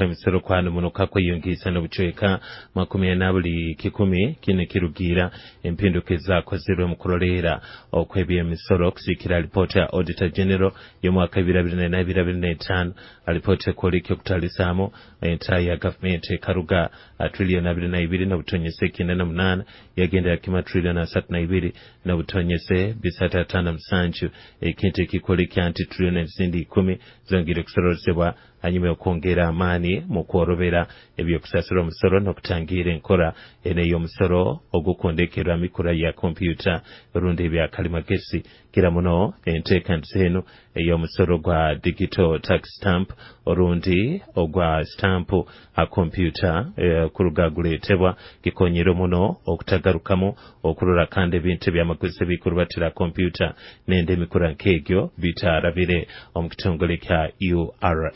Emisoro kwanunuka kweyongiisa n'obucweka 40%. Kinu kirugiira empinduka ezakozirwe mu kuroleera okw'ebyemisoro kusiikira alipoota ya Auditor General y'omwaka 2024, alipoota ekwoleka okutalisaamu entaayi ya gavumenti ekaruga triliyoni 22.98 yagendera kimu triliyoni 32.357, ekintu ekikwoleka nti triliyoni ezindi 10 zongire kusorozebwa hanyuma y'okwongera amaani mu kworobera ebyokusasura omusoro n'okutangira enkora eno ey'omusoro ogukondekerwa mikura ya kompyuta rundi ebyakalimagezi. Kira muno enteekaniza enu ey'omusoro gwa digital tax stamp orundi ogwa stampu ha kompyuta kuruga guleetebwa kikonyere muno okutagarukamu okurora kandi ebintu ebyamaguzi ebikurubatira kompyuta nende emikura nk'egyo bitarabire omu kitongole kya URA.